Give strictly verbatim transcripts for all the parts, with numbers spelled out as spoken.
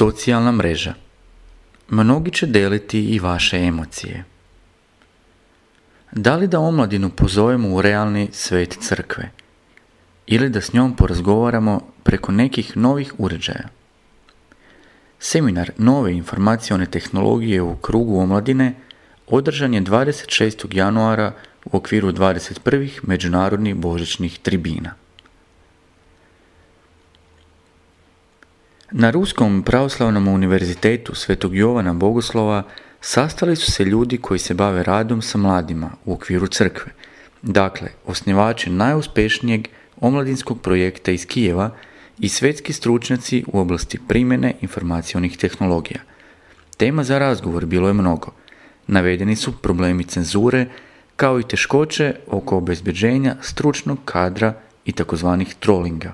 Socijalna mreža. Mnogi će deliti i vaše emocije. Da li da omladinu pozovemo u realni svet crkve ili da s njom porazgovaramo preko nekih novih uređaja? Seminar nove informacione tehnologije u krugu omladine održan je dvadeset šestog januara u okviru dvadeset prvih međunarodnih božićnih tribina. Na Ruskom pravoslavnom univerzitetu Svetog Jovana Bogoslova sastali su se ljudi koji se bave radom sa mladima u okviru crkve, dakle osnivači najuspješnijeg omladinskog projekta iz Kijeva i svjetski stručnjaci u oblasti primjene informacionih tehnologija. Tema za razgovor bilo je mnogo. Navedeni su problemi cenzure, kao i teškoće oko obezbeđenja stručnog kadra i takozvanih trollinga.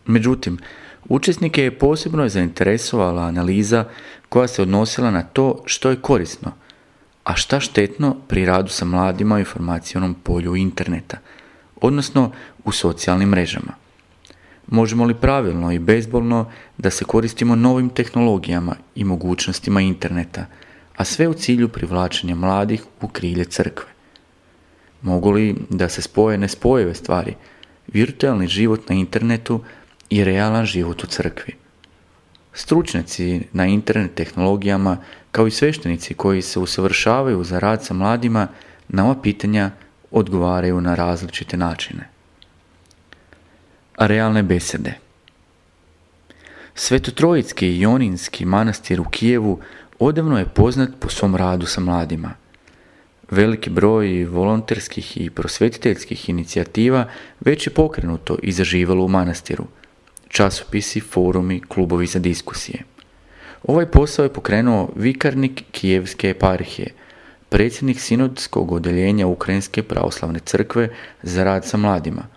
Međutim, učesnike je posebno zainteresovala analiza koja se odnosila na to što je korisno, a šta štetno pri radu sa mladima u informacionom polju interneta, odnosno u socijalnim mrežama. Možemo li pravilno i bezbolno da se koristimo novim tehnologijama i mogućnostima interneta, a sve u cilju privlačenja mladih u krilje crkve? Mogu li da se spoje nespojive stvari, virtualni život na internetu i realan život u crkvi? Stručnjaci na internet tehnologijama, kao i sveštenici koji se usavršavaju za rad sa mladima, na ova pitanja odgovaraju na različite načine. Realne besede. Svetotrojitski i Joninski manastir u Kijevu odavno je poznat po svom radu sa mladima. Veliki broj volonterskih i prosvetiteljskih inicijativa već je pokrenuto i zaživalo u manastiru. Časopisi, forumi, klubovi za diskusije. Ovaj posao je pokrenuo vikarnik Kijevske eparhije, predsjednik sinodskog odeljenja Ukrajinske pravoslavne crkve za rad sa mladima,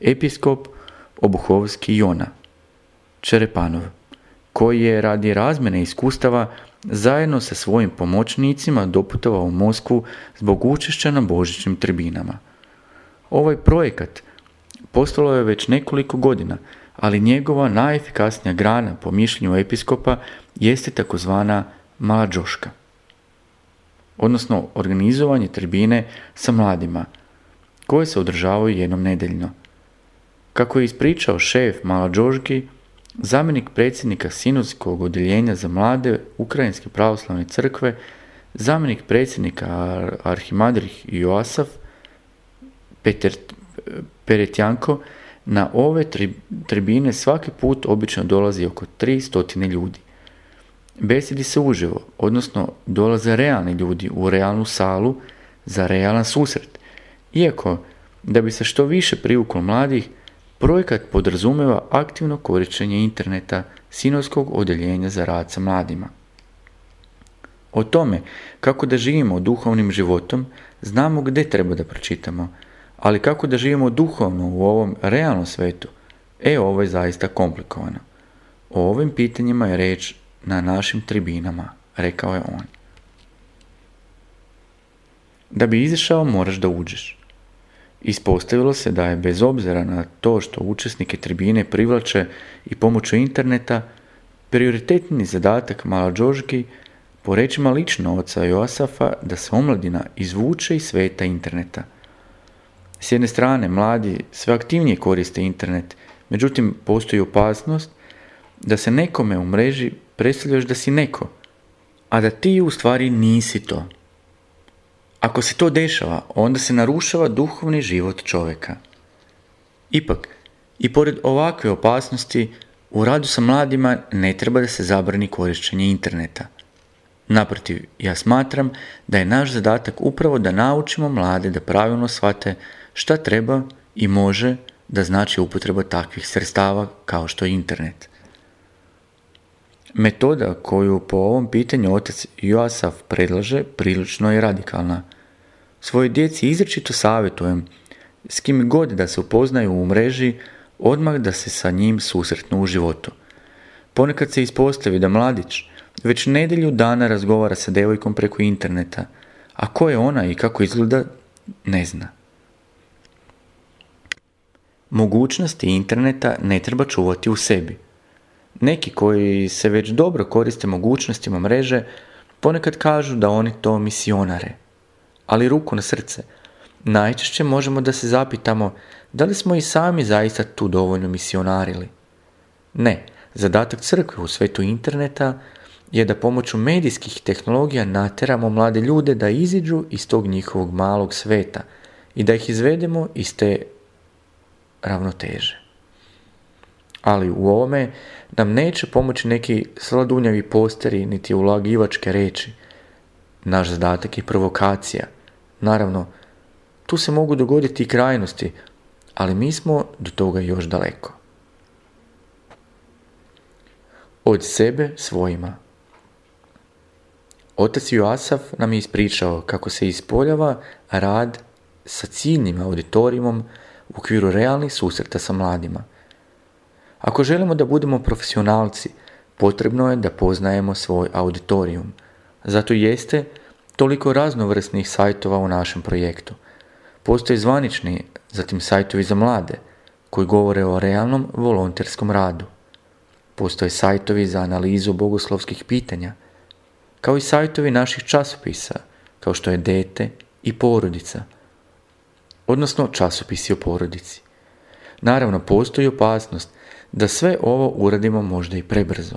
episkop Obuhovski Jona Čerepanov, koji je radi razmjene iskustava zajedno sa svojim pomoćnicima doputovao u Moskvu zbog učešća na božićnim tribinama. Ovaj projekat postalo je već nekoliko godina, ali njegova najefikasnija grana po mišljenju episkopa jeste takozvana Maladžoška, odnosno organizovanje tribine sa mladima, koje se održavaju jednom nedeljno. Kako je ispričao šef Maladžoški, zamjenik predsjednika sinodskog odeljenja za mlade Ukrajinske pravoslavne crkve, zamjenik predsjednika Arhimandrih Joasaf Peter Peretjanko, na ove tri, tribine svaki put obično dolazi oko tri stotine ljudi. Besedi se uživo, odnosno dolaze realni ljudi u realnu salu za realan susret. Iako, da bi se što više privuklo mladih, projekat podrazumeva aktivno korištenje interneta sinodskog odeljenja za rad sa mladima. O tome kako da živimo duhovnim životom znamo gdje treba da pročitamo, ali kako da živimo duhovno u ovom realnom svetu, e ovo je zaista komplikovano. O ovim pitanjima je reč na našim tribinama, rekao je on. Da bi izašao moraš da uđeš. Ispostavilo se da je bez obzira na to što učesnike tribine privlače i pomoću interneta, prioritetni zadatak Maladžoški, po rečima lično oca Joasafa, da se omladina izvuče iz sveta interneta. S jedne strane, mladi sve aktivnije koriste internet, međutim postoji opasnost da se nekome u mreži predstavljaš da si neko, a da ti u stvari nisi to. Ako se to dešava, onda se narušava duhovni život čovjeka. Ipak, i pored ovakve opasnosti, u radu sa mladima ne treba da se zabrani korištenje interneta. Naprotiv, ja smatram da je naš zadatak upravo da naučimo mlade da pravilno shvate šta treba i može da znači upotreba takvih sredstava kao što je internet. Metoda koju po ovom pitanju otac Joasaf predlaže prilično je radikalna. Svojoj djeci izričito savjetujem s kim god da se upoznaju u mreži, odmah da se sa njim susretnu u životu. Ponekad se ispostavi da mladić već nedjelju dana razgovara sa devojkom preko interneta, a ko je ona i kako izgleda, ne zna. Mogućnosti interneta ne treba čuvati u sebi. Neki koji se već dobro koriste mogućnostima mreže ponekad kažu da oni to misionare. Ali ruku na srce, najčešće možemo da se zapitamo da li smo i sami zaista tu dovoljno misionarili. Ne, zadatak crkve u svetu interneta je da pomoću medijskih tehnologija nateramo mlade ljude da iziđu iz tog njihovog malog sveta i da ih izvedemo iz te ravnoteže. Ali u ovome nam neće pomoći neki sladunjavi posteri niti ulagivačke reči. Naš zadatak je provokacija. Naravno, tu se mogu dogoditi i krajnosti, ali mi smo do toga još daleko. Od sebe svojima. Otac Joasaf nam je ispričao kako se ispoljava rad sa ciljnim auditorijumom u okviru realnih susreta sa mladima. Ako želimo da budemo profesionalci, potrebno je da poznajemo svoj auditorijum. Zato jeste toliko raznovrsnih sajtova u našem projektu. Postoje zvanični, zatim sajtovi za mlade, koji govore o realnom volonterskom radu. Postoje sajtovi za analizu bogoslovskih pitanja, kao i sajtovi naših časopisa, kao što je Dete i Porodica, odnosno časopisi o porodici. Naravno, postoji opasnost da sve ovo uradimo možda i prebrzo.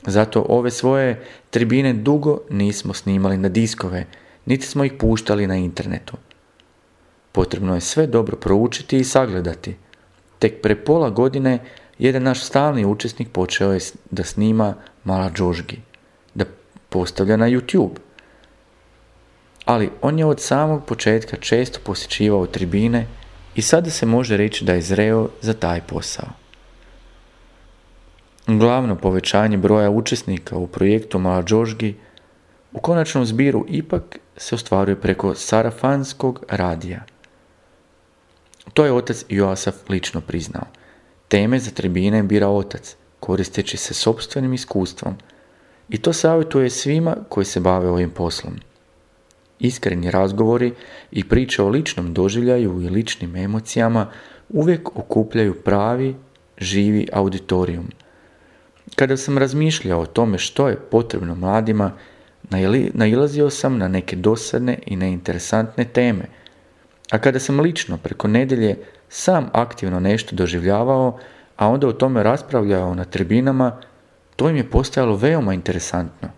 Zato ove svoje tribine dugo nismo snimali na diskove, niti smo ih puštali na internetu. Potrebno je sve dobro proučiti i sagledati. Tek pre pola godine jedan naš stalni učesnik počeo je da snima mala džožgi, da postavlja na YouTube. Ali on je od samog početka često posjećivao tribine i sada se može reći da je zreo za taj posao. Glavno povećanje broja učesnika u projektu Mala džožgi u konačnom zbiru ipak se ostvaruje preko sarafanskog radija. To je otac Joasaf lično priznao. Teme za tribine bira otac, koristeći se sopstvenim iskustvom, i to savjetuje svima koji se bave ovim poslom. Iskreni razgovori i priče o ličnom doživljaju i ličnim emocijama uvijek okupljaju pravi, živi auditorijum. Kada sam razmišljao o tome što je potrebno mladima, nailazio sam na neke dosadne i neinteresantne teme, a kada sam lično preko nedjelje sam aktivno nešto doživljavao, a onda o tome raspravljao na tribinama, to im je postajalo veoma interesantno.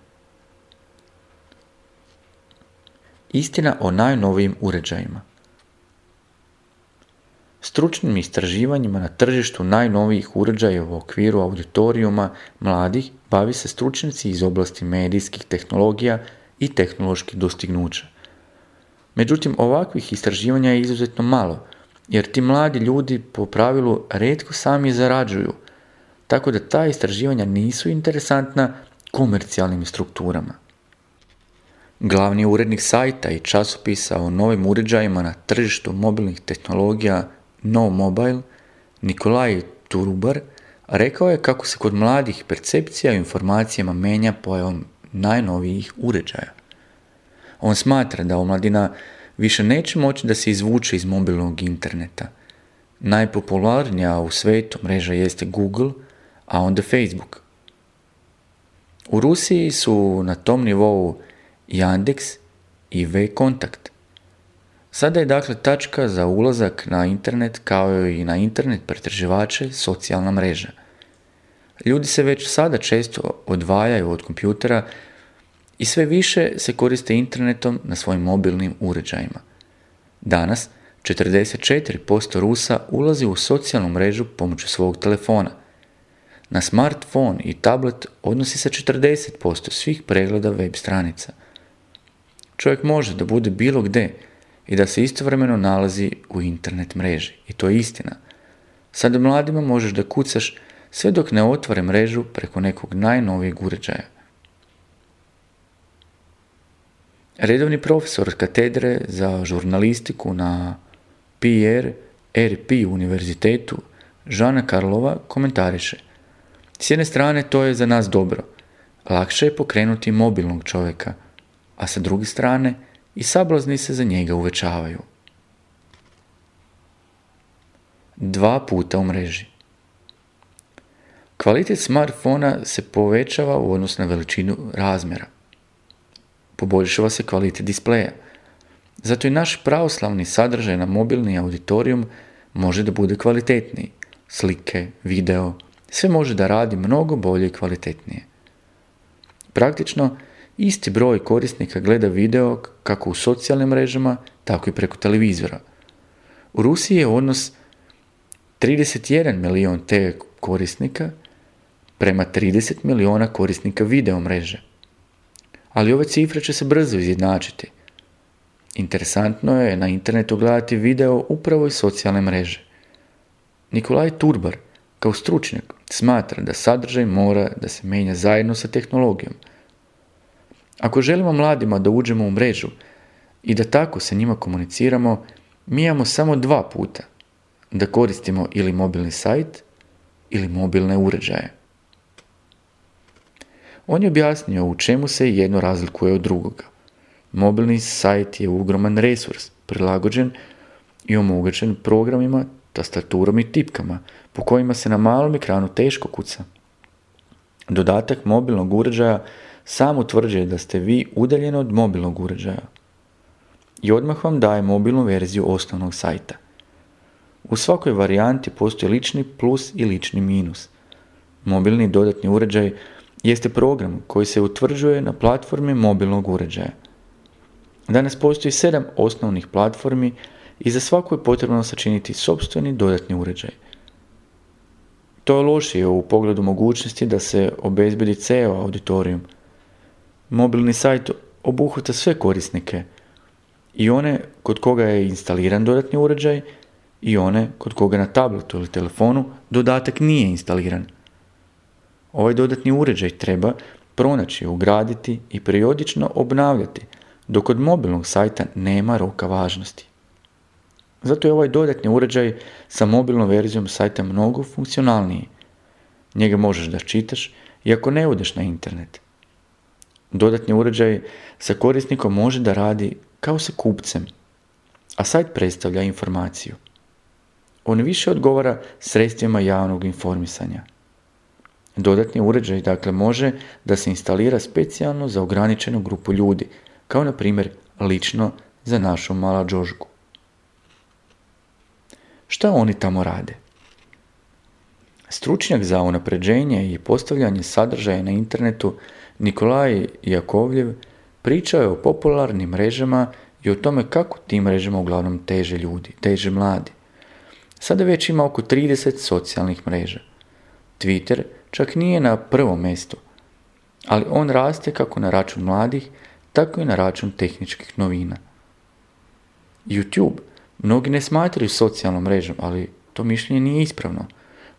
Istina o najnovijim uređajima. Stručnim istraživanjima na tržištu najnovijih uređaja u okviru auditorijuma mladih bavi se stručnjaci iz oblasti medijskih tehnologija i tehnoloških dostignuća. Međutim, ovakvih istraživanja je izuzetno malo, jer ti mladi ljudi po pravilu retko sami zarađuju, tako da ta istraživanja nisu interesantna komercijalnim strukturama. Glavni urednik sajta i časopisa o novim uređajima na tržištu mobilnih tehnologija No Mobile, Nikolaj Turubar, rekao je kako se kod mladih percepcija o informacijama menja pojavom najnovijih uređaja. On smatra da omladina više neće moći da se izvuče iz mobilnog interneta. Najpopularnija u svijetu mreža jeste Google, a onda Facebook. U Rusiji su na tom nivou Yandex i V-Kontakt. Sada je dakle tačka za ulazak na internet kao i na internet pretraživače socijalna mreža. Ljudi se već sada često odvajaju od kompjutera i sve više se koriste internetom na svojim mobilnim uređajima. Danas četrdeset četiri posto Rusa ulazi u socijalnu mrežu pomoću svog telefona. Na smartphone i tablet odnosi se četrdeset posto svih pregleda web stranica. Čovjek može da bude bilo gde i da se istovremeno nalazi u internet mreži. I to je istina. Sada mladima možeš da kucaš sve dok ne otvore mrežu preko nekog najnovijeg uređaja. Redovni profesor katedre za žurnalistiku na P R R P univerzitetu Žana Karlova komentariše: s jedne strane to je za nas dobro, lakše je pokrenuti mobilnog čovjeka, a sa druge strane i sablazni se za njega uvećavaju. Dva puta u mreži. Kvalitet smartfona se povećava u odnosu na veličinu razmjera. Poboljšava se kvalitet displeja. Zato i naš pravoslavni sadržaj na mobilni auditorijum može da bude kvalitetniji. Slike, video, sve može da radi mnogo bolje i kvalitetnije. Praktično, isti broj korisnika gleda video kako u socijalnim mrežama, tako i preko televizora. U Rusiji je odnos trideset jedan milion te korisnika prema trideset miliona korisnika video mreže. Ali ove cifre će se brzo izjednačiti. Interesantno je na internetu gledati video upravo iz socijalne mreže. Nikolaj Turbar, kao stručnjak, smatra da sadržaj mora da se menja zajedno sa tehnologijom. Ako želimo mladima da uđemo u mrežu i da tako sa njima komuniciramo, mi imamo samo dva puta, da koristimo ili mobilni sajt ili mobilne uređaje. On je objasnio u čemu se jedno razlikuje od drugoga. Mobilni sajt je ogroman resurs, prilagođen i omogućen programima, tastaturom i tipkama, po kojima se na malom ekranu teško kuca. Dodatak mobilnog uređaja sam utvrđuje da ste vi udaljeni od mobilnog uređaja i odmah vam daje mobilnu verziju osnovnog sajta. U svakoj varijanti postoji lični plus i lični minus. Mobilni dodatni uređaj jeste program koji se utvrđuje na platformi mobilnog uređaja. Danas postoji sedam osnovnih platformi i za svaku je potrebno sačiniti sopstveni dodatni uređaj. To je lošije u pogledu mogućnosti da se obezbedi ceo auditorijum. Mobilni sajt obuhvata sve korisnike, i one kod koga je instaliran dodatni uređaj i one kod koga na tabletu ili telefonu dodatak nije instaliran. Ovaj dodatni uređaj treba pronaći, ugraditi i periodično obnavljati, dok kod mobilnog sajta nema roka važnosti. Zato je ovaj dodatni uređaj sa mobilnom verzijom sajta mnogo funkcionalniji. Njega možeš da čitaš iako ne odeš na internet. Dodatni uređaj sa korisnikom može da radi kao sa kupcem, a sajt predstavlja informaciju. On više odgovara sredstvima javnog informisanja. Dodatni uređaj dakle može da se instalira specijalno za ograničenu grupu ljudi, kao na primjer lično za našu Malađožku. Šta oni tamo rade? Stručnjak za unapređenje i postavljanje sadržaja na internetu Nikolaj Jakovljev pričao je o popularnim mrežama i o tome kako tim mrežama uglavnom teže ljudi, teže mladi. Sada već ima oko trideset socijalnih mreža. Twitter čak nije na prvom mjestu, ali on raste kako na račun mladih, tako i na račun tehničkih novina. YouTube mnogi ne smatraju socijalnom mrežom, ali to mišljenje nije ispravno.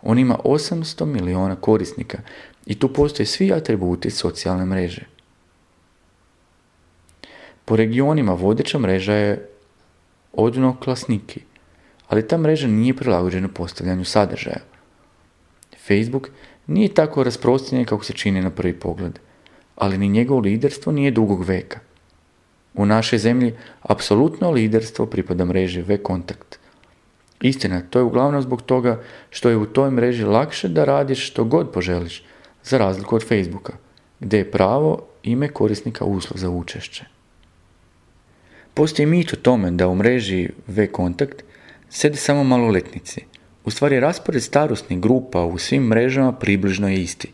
On ima osamsto miliona korisnika i tu postoje svi atributi socijalne mreže. Po regionima vodeća mreža je Odnoklasniki, ali ta mreža nije prilagođena postavljanju sadržaja. Facebook nije tako rasprostranjen kako se čini na prvi pogled, ali ni njegovo liderstvo nije dugog veka. U našoj zemlji apsolutno liderstvo pripada mreži V-Kontakt. Istina, to je uglavnom zbog toga što je u toj mreži lakše da radiš što god poželiš, za razliku od Facebooka, gdje je pravo ime korisnika uslov za učešće. Postoji mit o tome da u mreži V-Kontakt sede samo maloletnici. U stvari, raspored starosnih grupa u svim mrežama približno je isti,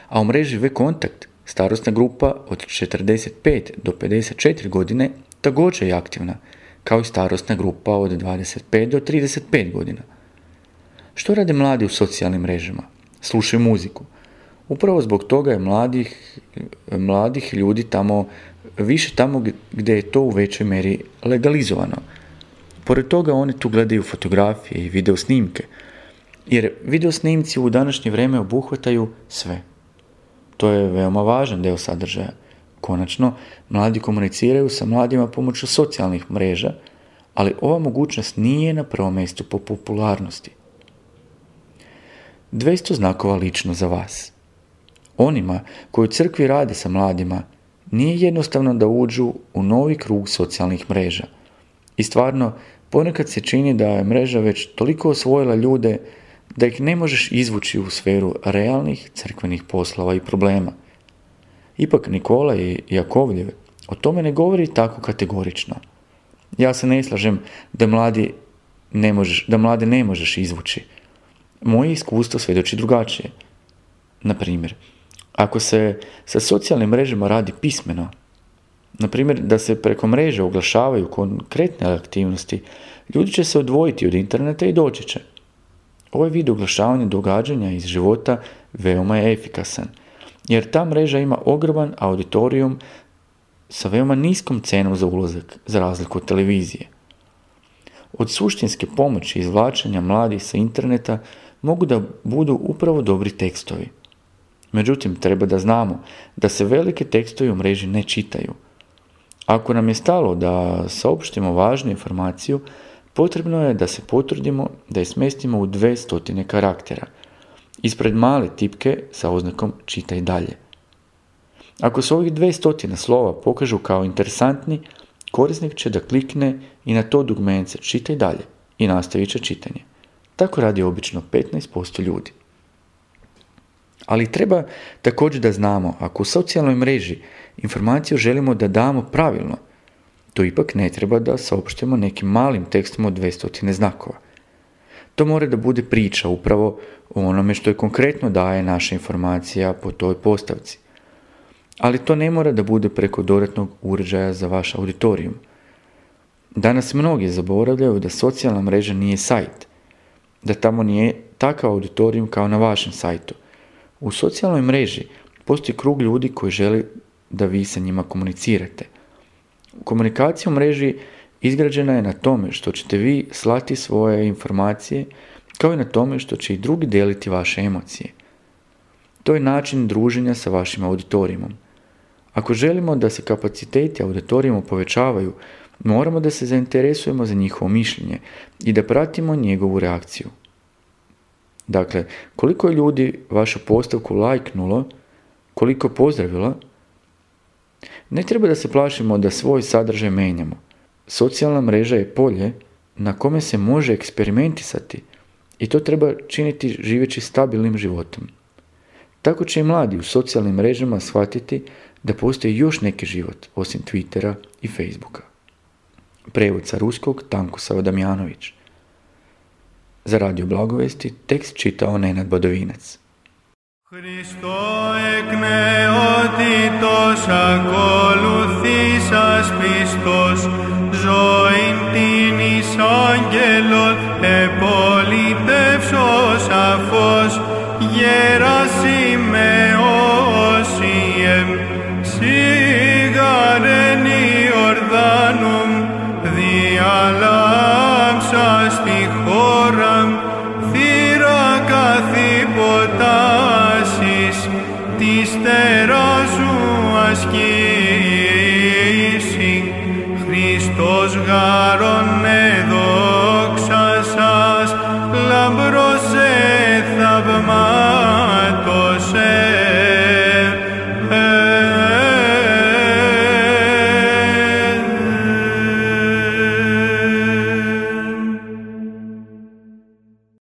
a u mreži V-Kontakt starosna grupa od četrdeset pet do pedeset četiri godine također je aktivna, kao i starosna grupa od dvadeset pet do trideset pet godina. Što rade mladi u socijalnim mrežama? Slušaju muziku. Upravo zbog toga je mladih, mladih ljudi tamo, više tamo gdje je to u većoj meri legalizovano. Pored toga oni tu gledaju fotografije i video snimke, jer video snimci u današnje vrijeme obuhvataju sve. To je veoma važan dio sadržaja. Konačno, mladi komuniciraju sa mladima pomoću socijalnih mreža, ali ova mogućnost nije na prvom mjestu po popularnosti. dvjesto znakova lično za vas. Onima koji u crkvi rade sa mladima nije jednostavno da uđu u novi krug socijalnih mreža. I stvarno, ponekad se čini da je mreža već toliko osvojila ljude da ih ne možeš izvući u sferu realnih crkvenih poslova i problema. Ipak Nikola i Jakovljev o tome ne govori tako kategorično. Ja se ne slažem da, mladi ne možeš, da mlade ne možeš izvući. Moje iskustvo svjedoči drugačije. Na primjer, ako se sa socijalnim mrežama radi pismeno, na primjer da se preko mreže oglašavaju konkretne aktivnosti, ljudi će se odvojiti od interneta i doći će. Ovaj vid oglašavanja događanja iz života veoma je efikasan, jer ta mreža ima ogroman auditorijum sa veoma niskom cenom za ulazak, za razliku od televizije. Od suštinske pomoći izvlačenja mladih sa interneta mogu da budu upravo dobri tekstovi. Međutim, treba da znamo da se velike tekstovi u mreži ne čitaju. Ako nam je stalo da saopštimo važnu informaciju, potrebno je da se potrudimo da je smestimo u dve stotine karaktera, ispred male tipke sa oznakom čitaj dalje. Ako se ovih dve stotine slova pokažu kao interesantni, korisnik će da klikne i na to dugmence čitaj dalje i nastavit će čitanje. Tako radi obično petnaest posto ljudi. Ali treba također da znamo, ako u socijalnoj mreži informaciju želimo da damo pravilno, to ipak ne treba da saopštimo nekim malim tekstom od dve stotine znakova. To mora da bude priča upravo o onome što je konkretno daje naša informacija po toj postavci. Ali to ne mora da bude preko dodatnog uređaja za vaš auditorijum. Danas mnogi zaboravljaju da socijalna mreža nije sajt, da tamo nije takav auditorijum kao na vašem sajtu. U socijalnoj mreži postoji krug ljudi koji želi da vi sa njima komunicirate. Komunikacija u mreži izgrađena je na tome što ćete vi slati svoje informacije, kao i na tome što će i drugi deliti vaše emocije. To je način druženja sa vašim auditorijumom. Ako želimo da se kapaciteti auditorijuma povećavaju, moramo da se zainteresujemo za njihovo mišljenje i da pratimo njegovu reakciju. Dakle, koliko je ljudi vašu postavku lajknulo, koliko pozdravilo, ne treba da se plašimo da svoj sadržaj menjamo. Socijalna mreža je polje na kome se može eksperimentisati i to treba činiti živeći stabilnim životom. Tako će i mladi u socijalnim mrežama shvatiti da postoji još neki život osim Twittera i Facebooka. Prevod sa ruskog Tanko Damjanović. Za Radio Blagovesti tekst čitao Nenad Badovinac. Χριστό εκ νεότητος ακολουθήσας πιστός, ζωήν την εις άγγελον επόμενος.